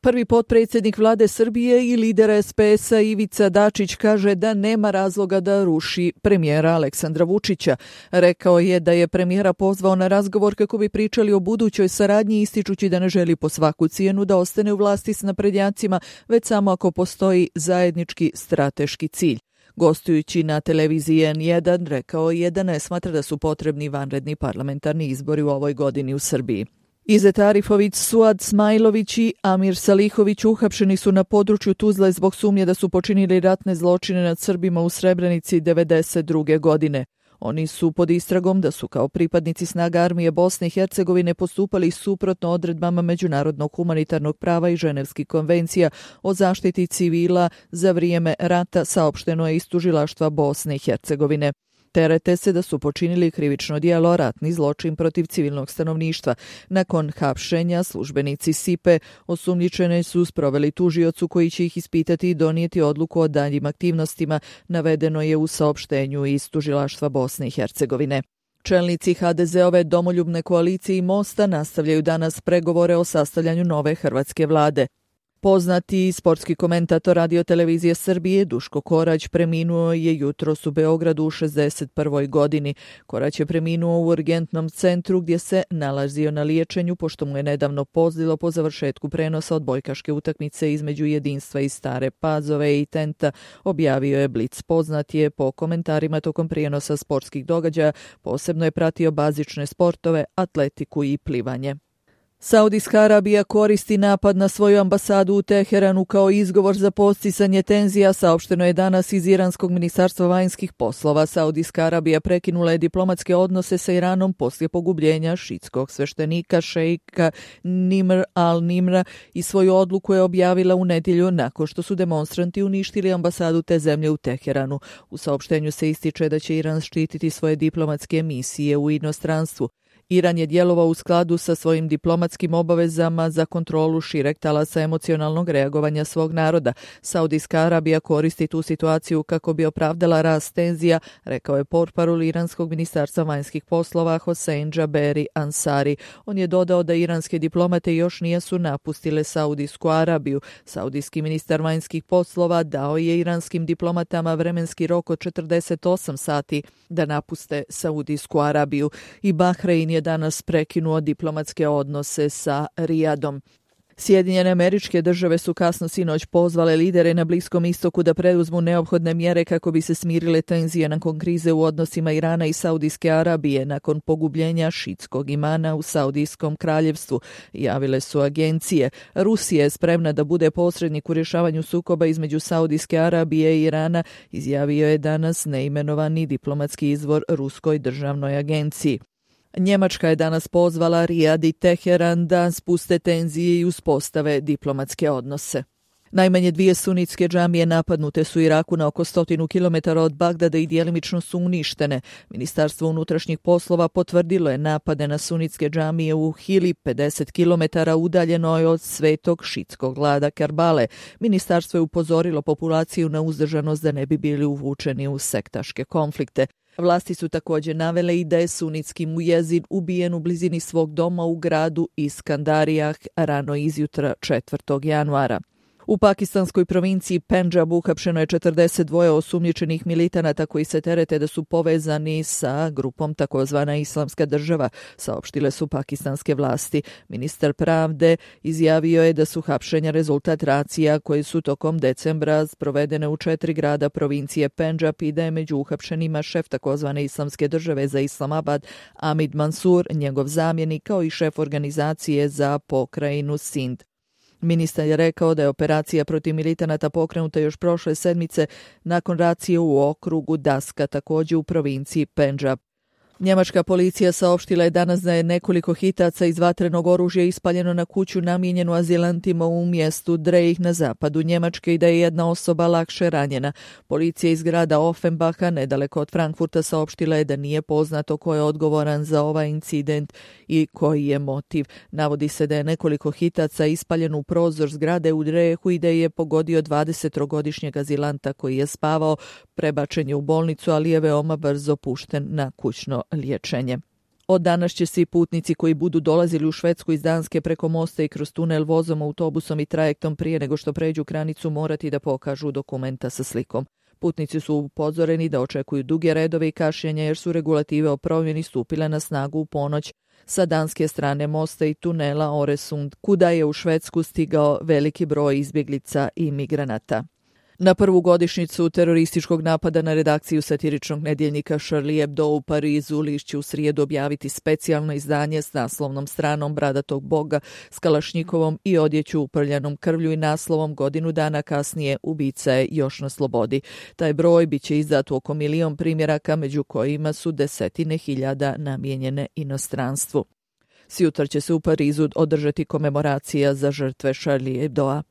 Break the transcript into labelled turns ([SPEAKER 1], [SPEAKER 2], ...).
[SPEAKER 1] Prvi potpredsjednik vlade Srbije i lider SPS-a Ivica Dačić kaže da nema razloga da ruši premijera Aleksandra Vučića. Rekao je da je premijera pozvao na razgovor kako bi pričali o budućoj saradnji, ističući da ne želi po svaku cijenu da ostane u vlasti s naprednjacima, već samo ako postoji zajednički strateški cilj. Gostujući na televiziji N1, rekao je da ne smatra da su potrebni vanredni parlamentarni izbori u ovoj godini u Srbiji. Izet Arifović, Suad Smajlović i Amir Salihović uhapšeni su na području Tuzle zbog sumnje da su počinili ratne zločine nad Srbima u Srebrenici 1992. godine. Oni su pod istragom da su kao pripadnici snaga armije Bosne i Hercegovine postupali suprotno odredbama međunarodnog humanitarnog prava i ženevskih konvencija o zaštiti civila za vrijeme rata, saopšteno je iz tužilaštva Bosne i Hercegovine. Terete se da su počinili krivično djelo ratni zločin protiv civilnog stanovništva. Nakon hapšenja službenici SIPE osumnjičene su sproveli tužiocu koji će ih ispitati i donijeti odluku o daljim aktivnostima, navedeno je u saopštenju iz tužilaštva Bosne i Hercegovine. Čelnici HDZ-ove domoljubne koalicije i Mosta nastavljaju danas pregovore o sastavljanju nove hrvatske vlade. Poznati sportski komentator Radio televizije Srbije Duško Korać preminuo je jutros u Beogradu u 61. godini. Korać je preminuo u urgentnom centru gdje se nalazio na liječenju pošto mu je nedavno pozlilo po završetku prenosa odbojkaške utakmice između Jedinstva i Stare Pazove i Tenta, objavio je Blic. Poznat je po komentarima tokom prijenosa sportskih događaja, posebno je pratio bazične sportove, atletiku i plivanje. Saudijska Arabija koristi napad na svoju ambasadu u Teheranu kao izgovor za podsticanje tenzija, saopšteno je danas iz Iranskog ministarstva vanjskih poslova. Saudijska Arabija prekinula je diplomatske odnose sa Iranom poslije pogubljenja šitskog sveštenika šejka Nimr al-Nimra i svoju odluku je objavila u nedjelju nakon što su demonstranti uništili ambasadu te zemlje u Teheranu. U saopštenju se ističe da će Iran štititi svoje diplomatske misije u inostranstvu. Iran je djelovao u skladu sa svojim diplomatskim obavezama za kontrolu šireg talasa emocionalnog reagovanja svog naroda. Saudijska Arabija koristi tu situaciju kako bi opravdala rast tenzija, rekao je portparol Iranskog ministarstva vanjskih poslova Hossein Jaberi Ansari. On je dodao da iranske diplomate još nisu napustile Saudijsku Arabiju. Saudijski ministar vanjskih poslova dao je iranskim diplomatama vremenski rok od 48 sati da napuste Saudijsku Arabiju. I Bahrein je danas prekinuo diplomatske odnose sa Rijadom. Sjedinjene Američke Države su kasno sinoć pozvale lidere na Bliskom istoku da preduzmu neophodne mjere kako bi se smirile tenzije nakon krize u odnosima Irana i Saudijske Arabije nakon pogubljenja šitskog imana u Saudijskom kraljevstvu, javile su agencije. Rusija je spremna da bude posrednik u rješavanju sukoba između Saudijske Arabije i Irana, izjavio je danas neimenovani diplomatski izvor Ruskoj državnoj agenciji. Njemačka je danas pozvala Rijad i Teheran da spuste tenzije i uspostave diplomatske odnose. Najmanje 2 sunitske džamije napadnute su u Iraku na oko 100 km od Bagdada i djelimično su uništene. Ministarstvo unutrašnjih poslova potvrdilo je napade na sunitske džamije u Hili, 50 km udaljenoj od svetog šitskog grada Kerbale. Ministarstvo je upozorilo populaciju na uzdržanost da ne bi bili uvučeni u sektaške konflikte. Vlasti su također navele i da je sunitski mujezin ubijen u blizini svog doma u gradu Iskandarijah rano izjutra 4. januara. U pakistanskoj provinciji Pendžab uhapšeno je 42 osumnjičenih militanata koji se terete da su povezani sa grupom takozvana Islamska država, saopštile su pakistanske vlasti. Ministar pravde izjavio je da su hapšenja rezultat racija koje su tokom decembra provedene u 4 grada provincije Pendžab i da je među uhapšenima šef takozvane Islamske države za Islamabad Amid Mansur, njegov zamjenik kao i šef organizacije za pokrajinu Sind. Ministar je rekao da je operacija protiv militanata pokrenuta još prošle sedmice nakon racije u okrugu Daska, također u provinciji Pendžab. Njemačka policija saopštila je danas da je nekoliko hitaca iz vatrenog oružja ispaljeno na kuću namijenjenu azilantima u mjestu Dreih na zapadu Njemačke i da je jedna osoba lakše ranjena. Policija iz grada Offenbacha, nedaleko od Frankfurta, saopštila je da nije poznato ko je odgovoran za ovaj incident i koji je motiv. Navodi se da je nekoliko hitaca ispaljeno u prozor zgrade u Dreihu i da je pogodio 23-godišnjeg azilanta koji je spavao. Prebačen je u bolnicu, ali je veoma brzo pušten na kućno liječenje. Od danas će svi putnici koji budu dolazili u Švedsku iz Danske preko mosta i kroz tunel vozom, autobusom i trajektom prije nego što pređu granicu morati da pokažu dokumenta sa slikom. Putnici su upozoreni da očekuju duge redove i kašnjenja jer su regulative o promjeni stupile na snagu u ponoć sa danske strane mosta i tunela Oresund, kuda je u Švedsku stigao veliki broj izbjeglica i migranata. Na prvu godišnjicu terorističkog napada na redakciju satiričnog nedjeljnika Charlie Hebdo u Parizu list će u srijedu objaviti specijalno izdanje s naslovnom stranom bradatog boga s kalašnjikovom i odjeću uprljanom krvlju i naslovom godinu dana kasnije ubica je još na slobodi. Taj broj bit će izdat u oko 1 milion primjeraka, među kojima su desetine hiljada namijenjene inostranstvu. Sjutra će se u Parizu održati komemoracija za žrtve Charlie Hebdoa.